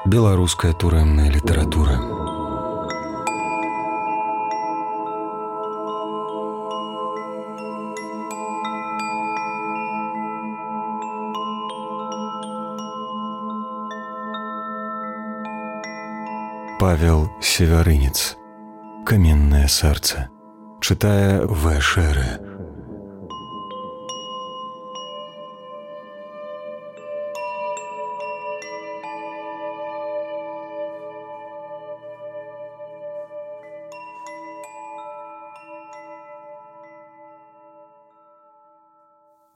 Беларуская турэмная літаратура. Павел Севярынец. Каменное сердце. Читая В. Шеры.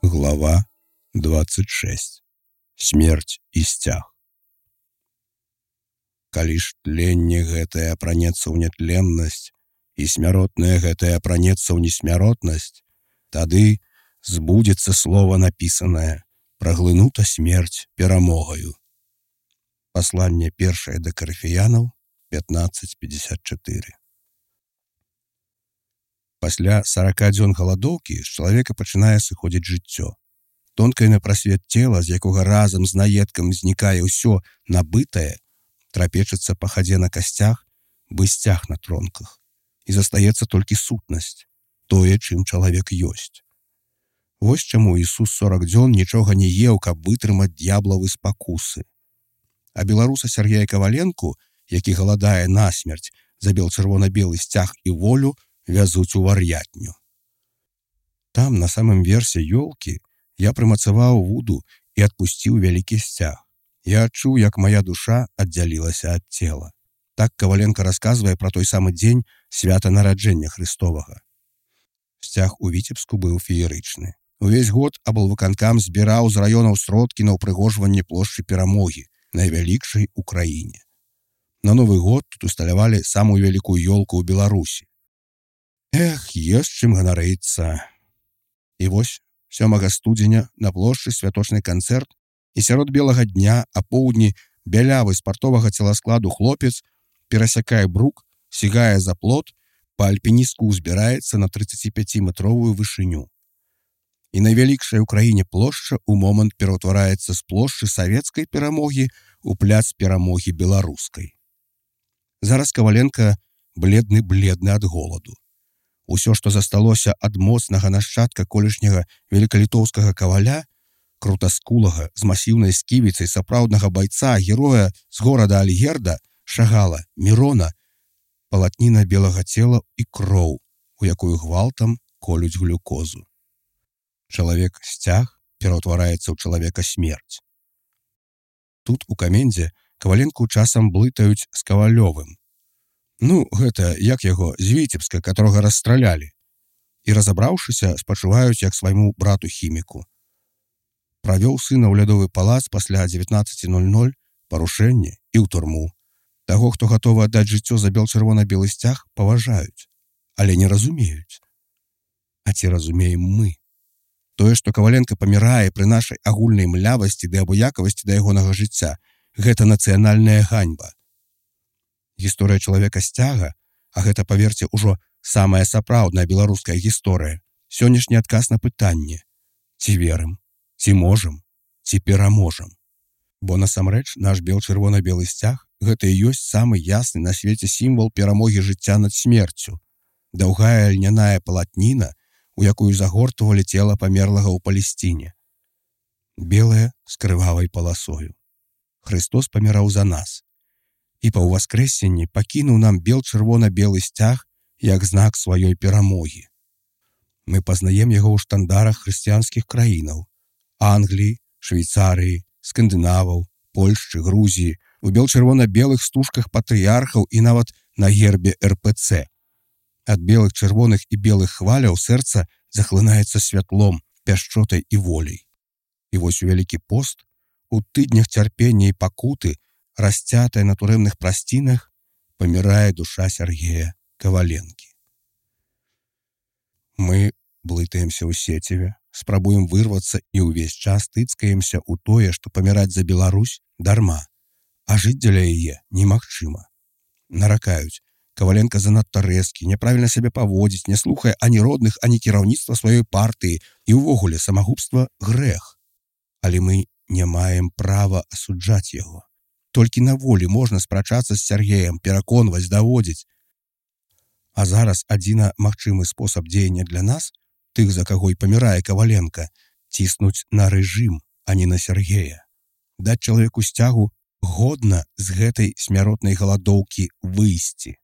Глава 26. Смерць і сцяг. Калі ж тленне гэтае апранецца ў нятленнасць і смяротнае гэтае апранецца ў несмяротнасць, тады збудзецца слова напісанае: праглынута смерць перамогаю. Пасланне першае да Карыфеянаў 15:54. Пасля 40 дзён галадоўкі з чалавека пачынае сыходзіць жыццё. Тонкае на прасвет цела, з якога разам з наедкам знікае ўсё набытае, трапечацца па хадзе на касцях, бы сцяг на тронках. І застаецца толькі сутнасць, тое, чым чалавек ёсць. Вось чаму Ісус 40 дзён нічога не еў, каб вытрымаць д'яблавы спакусы. А беларуса Сергея Каваленку, які галадае насмерць за бел-чырвона-белы сцяг і волю, вязуць у вар'ятню. Там, на самым версе ёлкі, я прымацаваў вуду і адпусціў вялікі сцяг. Я адчуў, як моя душа аддзялілася ад цела. Так Каваленка расказвае пра той самы дзень свята нараджэння Христовага. Сцяг у Віцебску быў феерычны. Увесь год аблвыканкам збіраў з раёнаў сродкі на ўпрыгожванне плошчы Перамогі, найвялікшай у краіне. На Новы год тут усталявалі самую вялікую ёлку ў Беларусі. Эх, ёсць чым ганарыцца. І вось 7 студзеня на плошчы святочны канцэрт, і сярод белага дня а поўдні бялявы спартовага целаскладу хлопец перасякае брук, сігае за плот, па альпіністку ўзбіраецца на 35-метровую вышыню. І найвялікшая ў краіне плошча ў момант пераўтвараецца з плошчы савецкай перамогі ў пляц перамогі беларускай. Зараз Каваленка бледны ад голаду. Усё, што засталося ад моцнага нашчадка колішняга велікалітоўскага каваля, крутаскулага, з масіўнай сківіцай сапраўднага байца, героя з горада Альгерда, Шагала, Мірона, палатніна белага цела і кроў, у якую гвалтам колюць глюкозу. Чалавек-сцяг пераўтвараецца ў чалавека смерць. Тут у камендзе Каваленку часам блытаюць з Кавалёвым. Ну, гэта, як яго, з Віцебска, которого расстралялі. І разабраўшыся, спачуваюць як свайму брату-хіміку. Правёў сына ў лядовы палац пасля 19:00, парушэнне і ў турму. Таго, хто гатовы аддаць жыццё за бел-чырвона-белы сцяг, паважаюць, але не разумеюць. А ці разумеем мы? Тое, што Каваленка памірае пры нашай агульнай млявасці ды абыякавасці да ягонага жыцця, гэта нацыянальная ганьба. Гісторыя чалавека-сцяга, а гэта, паверце, ужо самая сапраўдная беларуская гісторыя, сённяшні адказ на пытанне: ці верым, ці можам, ці пераможам. Бо насамрэч наш бел-чырвона-белы сцяг гэта і ёсць самы ясны на свеце сімвал перамогі жыцця над смерцю. Даўгая льняная палатніна, у якую загортвалі цела памерлага ў Палесціне. Белая з крывавай паласою. Христос паміраў за нас. І па ўваскрэсенні пакінуў нам бел-чырвона-белы сцяг як знак сваёй перамогі. Мы пазнаем яго ў штандарах хрысціянскіх краінаў: Англіі, Швейцарыі, Скандынаваў, Польшчы, Грузіі, у бел-чырвона-белых стужках патрыярхаў і нават на гербе РПЦ. Ад белых, чырвоных і белых хваляў сэрца захлынаецца святлом, пяшчотай і воляй. І вось у Вялікі пост, у тыднях цярпення і пакуты, расцятая на турэмных прасцінах, памірае душа Сергея Каваленкі. Мы блытаемся ў сеціве, спрабуем вырвацца і ўвесь час тыцкаемся ў тое, што паміраць за Беларусь дарма, а жыць дзеля яе немагчыма. Наракаюць: Каваленка занадта рэзкі, няправільна сябе паводзіць, не слухае ані родных, ані кіраўніцтва сваёй партыі, і ўвогуле самагубства грэх. Але мы не маем права асуджаць яго. Толькі на волі можна спрачацца з Сяргеем, пераконваць, даводзіць. А зараз адзіна магчымы спосаб дзеяння для нас, тых, за каго і памірае Каваленка, ціснуць на рэжым, а не на Сяргея. Даць чалавеку сцягу годна з гэтай смяротнай галадоўкі выйсці.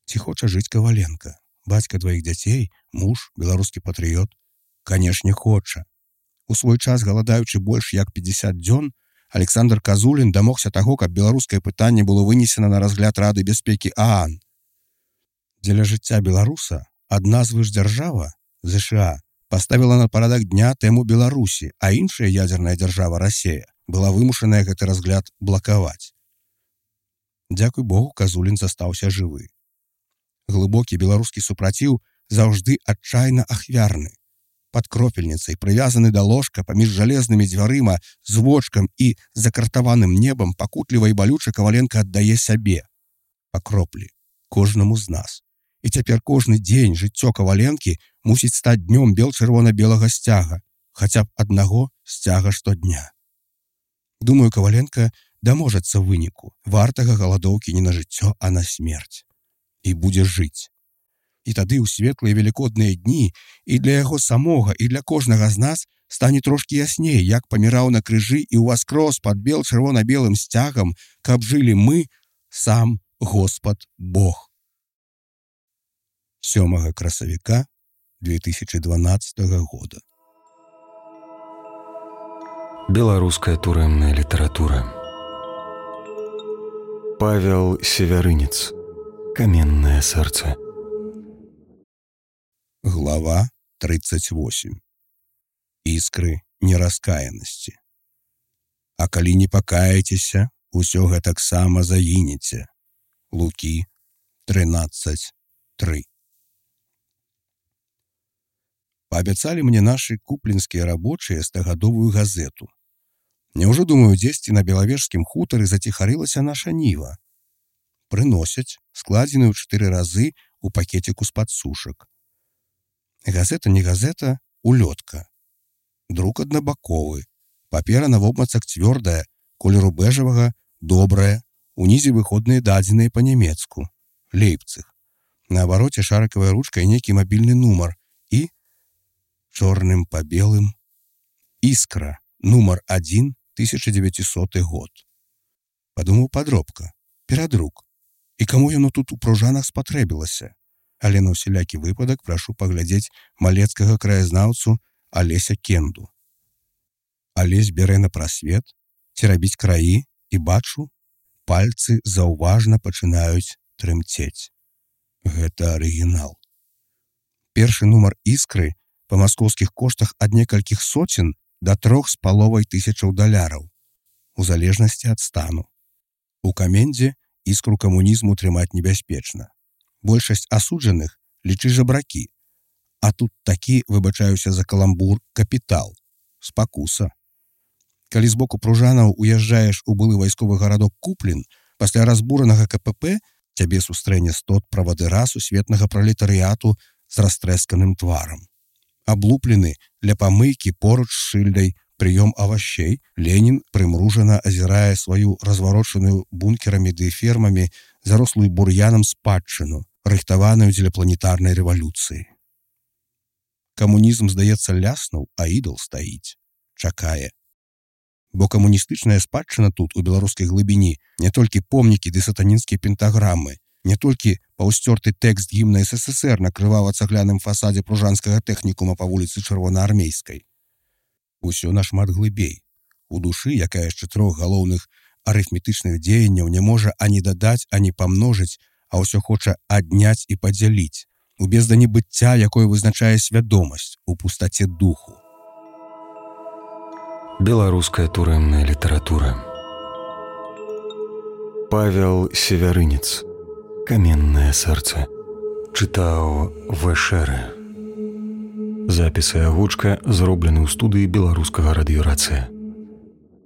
Ці хоча жыць Каваленка? Бацька дваіх дзяцей, муж, беларускі патрыёт? Канешне, хоча. У свой час, галадаючы больш як 50 дзён, Александр Казулін дамогся таго, каб беларускае пытанне было вынесена на разгляд Рады бяспекі ААН. Дзеля жыцця беларуса адна звышдзяржава, ЗША, паставіла на парадак дня тэму Беларусі, а іншая ядзерная дзяржава, Расія, была вымушаная гэты разгляд блакаваць. Дзякуй Богу, Казулін застаўся жывы. Глыбокі беларускі супраціў заўжды адчайна ахвярны. Пад кропельніцай, прывязаны да ложка паміж жалезнымі дзвярыма, з вочкам і закартаваным небам, пакутліва і балюча Каваленка аддае сябе. Па кроплі, кожнаму з нас. І цяпер кожны дзень жыццё Каваленкі мусіць стаць днём бел-чырвона-белага сцяга, хаця б аднаго сцяга штодня. Думаю, Каваленка даможацца выніку, вартага галадоўкі не на жыццё, а на смерць. І будзе жыць. І тады ў светлыя велікодныя дні і для яго самога, і для кожнага з нас стане трошкі ясней, як паміраў на крыжы і ўваскрос пад бел-чырвона-белым сцягам, каб жылі мы, сам Господ Бог. 7 красавіка 2012 года. Беларуская турэмная літаратура. Павел Севярынец. Каменное сэрца. Глава 38. Іскры нераскаянасці. А калі не пакаецеся, усё гэтаксама загінеце. Лукі 13:3. Паабяцалі мне нашы куплінскія рабочыя стагадовую газету. Няўжо, думаю, дзесьці на белавежскім хутары заціхарылася наша ніва. Прыносяць, складзеную 4 разы у пакеціку з-пад сушак. Газета не газета, улётка. Друк аднабаковы. Папера на вобмацак цвёрдая, колеру бэжавага, добрая, унізе выходныя дадзеныя па-нямецку. Лейпцыг. На абароце шарыкавая ручка і нейкі мабільны нумар. І чорным па белым «Іскра», нумар 1, 1900 год. Падумаў падробка, перадрук. І каму яно тут у пружанах спатрэбілася? Але на ўсялякі выпадак прашу паглядзець малецкага краязнаўцу Алеся Кенду. Алесь бярэ на прасвет, ці рабіць краі, і бачу, пальцы заўважна пачынаюць трымцець. Гэта арыгінал. Першы нумар «Іскры» па маскоўскіх коштах ад некалькіх соцен да $3,500, у залежнасці ад стану. У камендзе іскру камунізму трымаць небяспечна. Большасць асуджаных лічы жабракі, а тут такі, выбачаюся за каламбур, капітал, спакуса. Калі з боку пружанаў уязджаеш у былы вайсковы гарадок Куплін, пасля разбуранага КПП цябе сустрэне стот правадыра сусветнага пралетарыяту з растрэсканым тварам. Аблуплены ля памыйкі поруч з шыльдай «Прыём авашей», Ленін прымружана азірае сваю разварочаную бункерамі ды фермамі зарослую бур'янам спадчыну, рыхтаваную дзеля планетарнай рэвалюцыі. Камунізм, здаецца, ляснуў, а ідал стаіць, чакае. Бо камуністычная спадчына тут, у беларускай глыбіні, не толькі помнікі ды сатанінскія пентаграмы, не толькі паўсцёрты тэкст гімна СССР на крывава-цагляным фасадзе пружанскага тэхнікума па вуліцы Чырвонаармейскай. Усё нашмат глыбей. У душы, якая з 4 галоўных арыфметычных дзеянняў не можа ані дадаць, ані памножыць, а ўсё хоча адняць і падзяліць. У бездані быцця, якое вызначае свядомасць, у пустаце духу. Беларуская турэмная літаратура. Павел Севярынец. Каменное сэрца. Чытаў В.Шэрэ. Запіс і агучка зроблены ў студыі беларускага радыёрацыя.